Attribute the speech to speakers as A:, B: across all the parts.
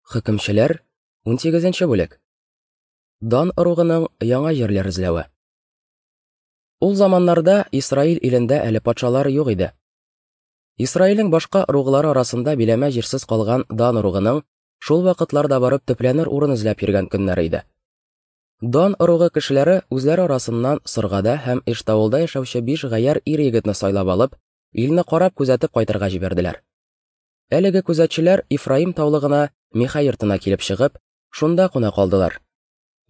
A: Хөкемчеләр, 18 бүлек. Дан ыругының яңа җирләр эзләве. Ул заманнарда Исраил илендә әле патшалар юк иде. Исраилнең башка ыруглары арасында биләмә җирсез калган Дан ыругының шул вакытларда барып төпләнер урын эзләп йөргән көннәре иде. Дан ыругы кешеләре үзләре арасыннан Соргада һәм Эштаулда яшәүче биш гаярь ир-егетне сайлап алып, илне карап күзәтеп кайтырга җибәрделәр. Әлеге күзәтчеләр Ифраим таулыгына Миха йортына килеп чыгып, шунда куна калдылар.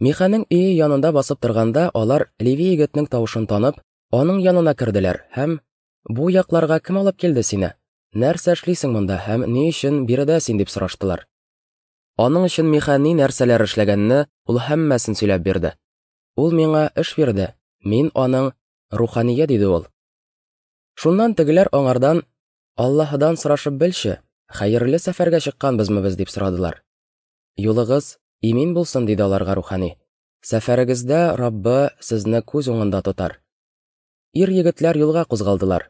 A: Миханың өе янында басып торганда, алар Леви егетнең тавышын танып, аның янына керделәр һәм: "Бу якларга кем алып килде сине? Нәрсә эшлисең монда һәм ни өчен биредә син?" дип сораштылар. Аның өчен Миха ни нәрсәләр эшләгәнне ул һәммәсен сөйләп бирде. Ул миңа эш бирде, мин аның рухание, диде ул. Шуннан тегеләр аңардан Аллаһыдан сорашып белче, хәерле сәфәргә чыкканбызмы без, дип сорадылар. Юлыгыз имин булсын, диде аларга рухани. Сәфәрегездә Раббы сезне күз уңында тотар. Ир-егетләр юлга кузгалдылар.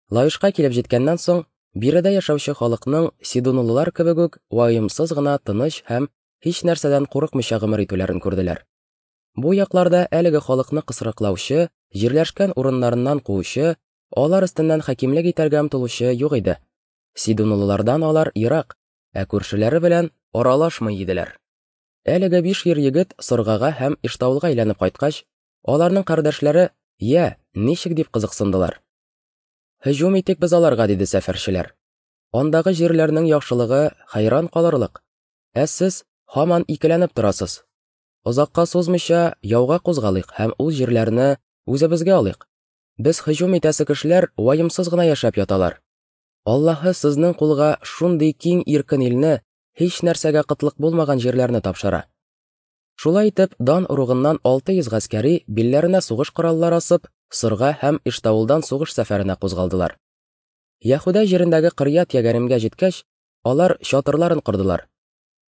A: Лаешка килеп җиткәннән соң, биредә яшәүче халыкның сидунлылар кебек үк ваемсыз гына тыныч һәм һич нәрсәдән курыкмыйча гомер итүләрен күрделәр. Бу якларда әлеге халыкны кысрыклаучы, җирләшкән урыннарыннан куучы, Алар өстеннән хакимлек итәргә омтылучы юк иде. Сидунлылардан алар ерак, ә күршеләре белән аралашмый иделәр. Әлеге биш ир егет Соргага һәм Иштаулга әйләнеп кайткач, аларның кардәшләре, "Я, ничек?" дип кызыксындылар. Һөҗүм итик без аларга, диде сәфәрчеләр. Андагы җирләрнең яхшылыгы хәйран калырлык. Ә сез һаман икеләнеп торасыз. Озакка сузмыйча яуга кузгалыйк һәм ул җирләрне үзебезгә алыйк. Без һөҗүм итәсе кешеләр ваемсыз гына яшәп яталар. Аллаһы сезнең кулга шундый киң иркен илне, һич нәрсәгә кытлык булмаган җирләрне тапшыра. Шулай итеп, Дан ыругыннан 600 гаскәри билләренә сугыш кораллары асып, Сорга һәм Иштаулдан сугыш сәфәренә кузгалдылар. Яһүдә җирендәге Кырьят Ягаримгә җиткәч, алар чатырларын кордылар.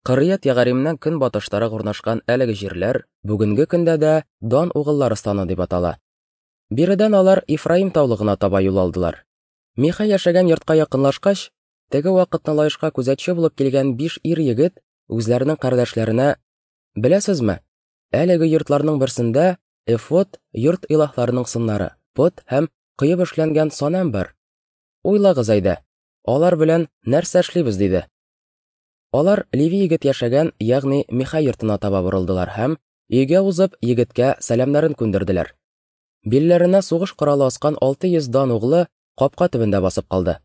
A: Кырьят Ягаримнән көнбатыштарак урнашкан әлеге җирләр бүгенге көндә дә Дан угыллары станы дип атала. Биредән алар Ифраим таулыгына таба юл алдылар. Миха яшәгән йортка якынлашкач, теге вакытны Лаешка күзәтче булып килгән биш ир-егет үзләренең кардәшләренә: "Беләсезме, әлеге йортларның берсендә эфод, йорт илаһларының сыннары, пот һәм коеп эшләнгән санәм бар. Уйлагыз әйдә, алар белән нәрсә эшлибез?" диде. Алар Леви егет яшәгән, ягъни Миха йортына таба борылдылар һәм, өйгә узып, егеткә сәламнәрен күндерделәр. Билләренә сугыш коралы аскан 600 дан углы капка төбендә басып калды.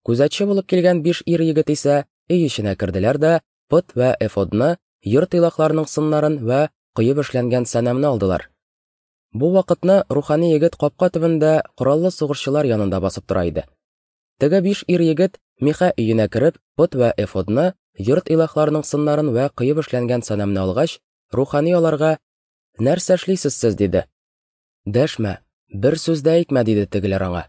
A: Күзәтче булып килгән биш ир-егет исә өй эченә керделәр дә пот вә эфодны, йорт илаһларының сыннарын вә коеп эшләнгән сәнәмне алдылар. Бу вакытны рухани егет капка төбендә кораллы сугышчылар янында басып тора иде. Теге биш ир-егет Миха өенә кереп, пот вә эфодны, йорт илаһларының сыннарын вә коеп эшләнгән сәнәмне алгач, рухани аларга: "Нәрсә эшлисез сез?" диде. Дәшмә, бер сүз дә әйтмә, диде тегеләр аңа.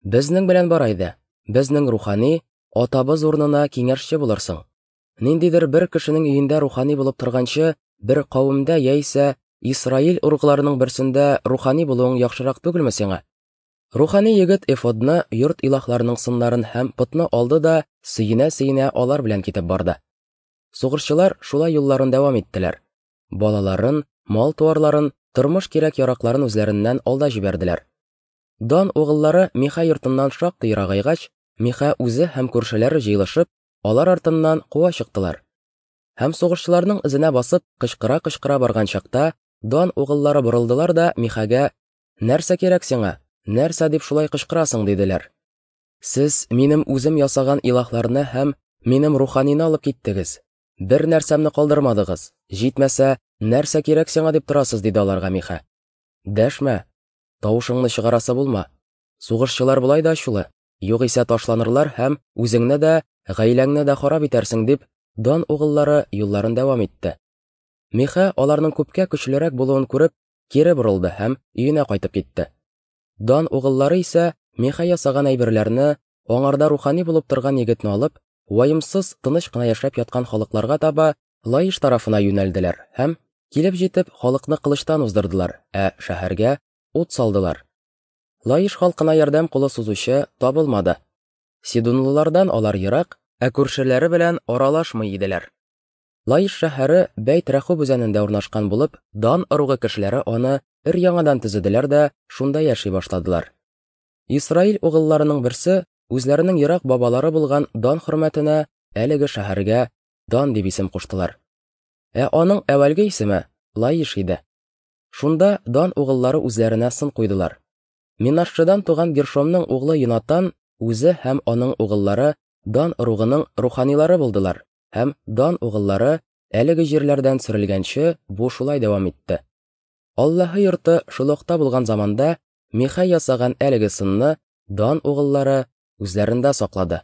A: Безнең белән бар әйдә, безнең рухани, атабыз урынына киңәшче булырсың. Ниндидер бер кешенең өендә рухани булып торганчы, бер кавемдә яисә Исраил ыругларының берсендә рухани булуың яхшырак түгелме сиңа? Рухани егет эфодны, йорт илаһларының сыннарын һәм потны алды да сөенә-сөенә алар белән китеп барды. Сугышчылар шулай юлларын дәвам иттеләр. Балаларын, мал-туарларын, тормыш кирәк-яракларын үзләреннән алда җибәрделәр. Дан угыллары Миха йортыннан шактый ерагайгач, Миха үзе һәм күршеләре җыелышып, алар артыннан куа чыктылар. Һәм сугышчыларның эзенә басып, кычкыра-кычкыра барган чакта, Дан угыллары борылдылар да Михагә: "Нәрсә кирәк сиңа? Нәрсә дип шулай кычкырасың?" диделәр. "Сез минем үзем ясаган илаһларны һәм минем руханины алып киттегез. Бер нәрсәмне калдырмадыгыз. Җитмәсә, нәрсә кирәк сиңа дип торасыз, диде аларга Миха. Дәшмә. Тавышыңны чыгарасы булма. Сугышчылар болай да ачулы. Югыйсә ташланырлар һәм үзеңне дә, гаиләңне дә харап итәрсең, дип, Дан угыллары юлларын дәвам итте. Миха аларның күпкә көчлерәк булуын күреп, кире борылды һәм өенә кайтып китте. Дан угыллары исә Миха ясаган әйберләрне, аңарда рухани булып торган егетне алып, ваемсыз, тыныч кына яшәп яткан халыкларга таба Лаиш тарафына юнәлделәр һәм, килеп җитеп, халыкны кылычтан уздырдылар, ә шәһәргә ут салдылар. Лаиш халкына ярдәм кулы сузучы табылмады. Сидунлылардан алар ерак, ә күршеләре белән аралашмый иделәр. Лаиш шәһәре Бәйт-Рәхүб үзәнендә урнашкан булып, Дан ыругы кешеләре аны өр-яңадан төзеделәр дә шунда яши башладылар. Исраил угылларының берсе үзләренең ерак бабалары булган Дан хөрмәтенә әлеге шәһәргә Дан дип исем куштылар. Ә аның әүвәлге исеме Лаиш иде. Шунда Дан угыллары үзләренә сын куйдылар. Минашшедан туган Гершомның углы Йонатан үзе һәм аның угыллары Дан ыругының руханилары булдылар, һәм Дан угыллары әлеге җирләрдән сөрелгәнче бу шулай дәвам итте. Аллаһы йорты Шилохта булган заманда Михай ясаган әлеге сынны Дан угыллары үзләрендә саклады.